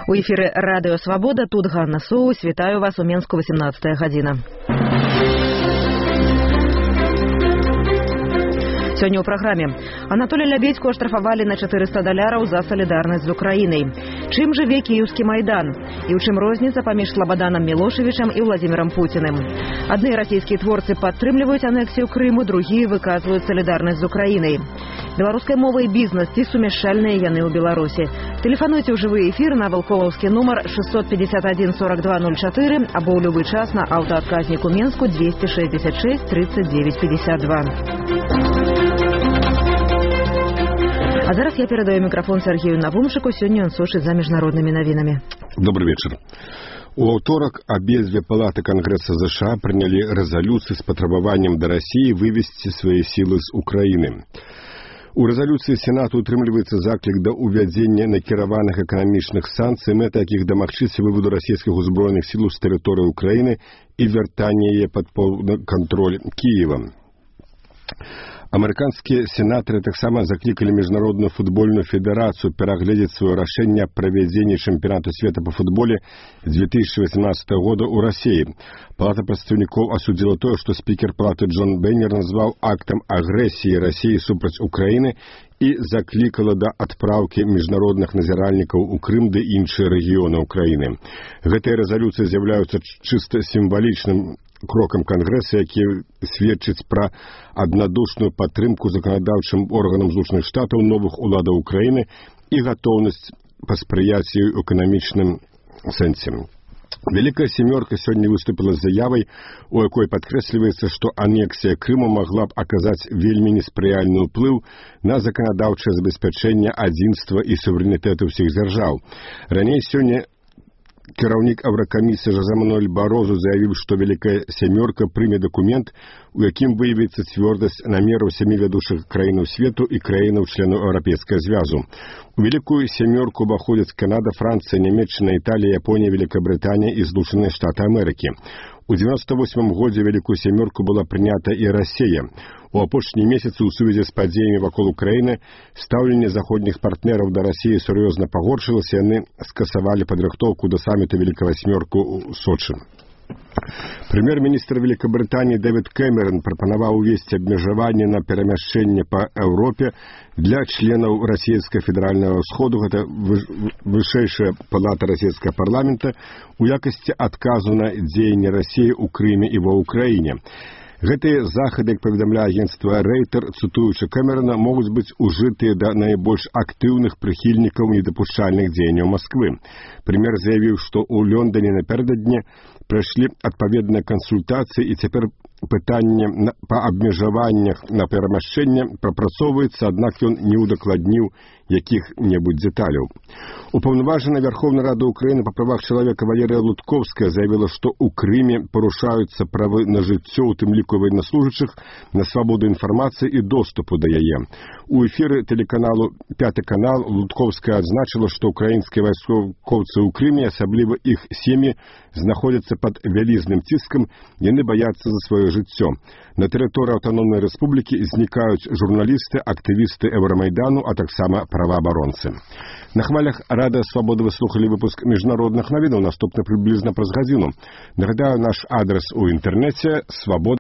У эфіры радыё «Свабода», тут Ганна Соус. Вітаю вас у Менску, 18 гадзіна. Сёння ў праграме. Анатолія Лябедзьку аштрафавалі на $400 за салідарнасць з Украінай. Чым жыве кіеўскі Майдан? І ў чым розніца паміж Слабаданам Мілошевічам і Владзімірам Пуціным? Адны расійскія творцы падтрымліваюць анексію Крыму, другія выказваюць салідарнасць з Украінай. Беларуская мова і бізнес, ці сумяшчальныя яны ў Беларусі? Тэлефануйце ў жывы эфір на валковаўскі нумар 651 42 04 або ў любы час на аўтаадказніку Менску 266 39 52. А зараз я передаю микрофон Сергею Навумшику. Сегодня он сушит за международными новинами. Добрый вечер. У аўторак абедзве палаты Конгресса США приняли резолюцию с потребованием до России вывести свои силы с Украины. У резолюции Сенату утрымліваецца заклік да ўвядзення накіраваных эканамічных санкцый, мэта якіх дамагчыся выводу расійскіх узброеных сил з тэрыторыі Украины и вяртання яе пад поўны кантроль Киева. Амерыканскія сенатары таксама заклікалі Міжнародную футбольную федэрацыю перагледзець сваё рашэнне аб правядзенні чэмпіянату свету па футболе 2018 года ў Расіі. Палата прадстаўнікоў асудзіла тое, што спікер палаты Джон Бейнер назваў актам агрэсіі Расіі супраць Украіны і заклікала да адпраўкі міжнародных назіральнікаў у Крым ды іншыя рэгіёны Украіны. Гэтыя рэзалюцыі з'яўляюцца чыста сімвалічным крокам Конгресса, які сведчыць пра аднадушную падтрымку заканадаўчым органам Злучаных Штатаў, новых уладаў Украіны і гатоўнасць паспрыяць ёй у эканамічным сэнсе. Вялікая сямёрка сёння выступила з заявай, у якой падкрэсліваецца, што анексія Крыму магла б аказаць вельмі неспрыяльны ўплыў на заканадаўчае забеспячэнне адзінства і суверэнітэту ўсіх дзяржаў. Раней сёння кіраўнік Еўракамісіі Жозе Мануэль Барозу заявіў, што Вялікая сямёрка прыме дакумент, у якім выявіцца цвёрдасць намераў 7 вядучых краінаў свету і краінаў-членаў Еўрапейскага звязу. У Вялікую сямёрку ўваходзяць Канада, Францыя, Нямецчына, Італія, Японія, Великабрытанія і Злучаныя Штаты Амерыкі. У 98 годзе Вялікую сямёрку была прынята і Расія. У апошнія месяцы ў сувязі з падзеямі вакол Украіны стаўленне заходніх партнераў да Расіі сур'ёзна пагоршылася, яны скасавалі падрыхтоўку да саміту Вялікай васьмёрку ў Сочы. Прэм'ер-міністр Великабрытаніі Дэвід Кэмерон прапанаваў увесці абмежаванне на перамяшчэнне па Еўропе для членаў расійскага федэральнага ўсходу, гэта вышэйшая палата расійскага парламента, у якасці адказу на дзеянні Расіі ў Крыме і ва Ўкраіне. Гэтыя захады, як паведамляе агенцтва Рейтер, цытуючы Кэмерона, могуць быць ужытыя да найбольш актыўных прыхільнікаў недапушчальных дзеянняў Масквы. Прэм'ер заявіў, што ў Лондоне напярэдадні прайшлі адпаведныя кансультацыі і цяпер пытанне па абмежаваннях на перамяшчэнне прапрацоўваецца, аднак ён не ўдакладніў якіх-небудзь дэталяў. Упаўнаважаная Верховнай Рады Украіны па правах чалавека Валерія Лутковская заявіла, што ў Крыме парушаюцца правы на жыццё, у тым ліку военнослужачых, на свабоду інфармацыі і доступу да яе. У эфіры тэлеканалу «Пяты канал» Лутковская адзначыла, што украінскія вайскоўцы ў Крыме, асабліва іх сем'і, знаходзяцца пад вялізным ціскам, яны баяцца за сваё жыццё. На тэрыторыі аўтаномнай рэспублікі знікаюць журналісты, актывісты Еўрамайдану, а таксама праваабаронцы. На хвалях Радыё Свабода вы слухали выпуск міжнародных навінаў, наступны прыблізна праз гадзіну. Нагадаю, наш адрес у інтэрнэце свабода.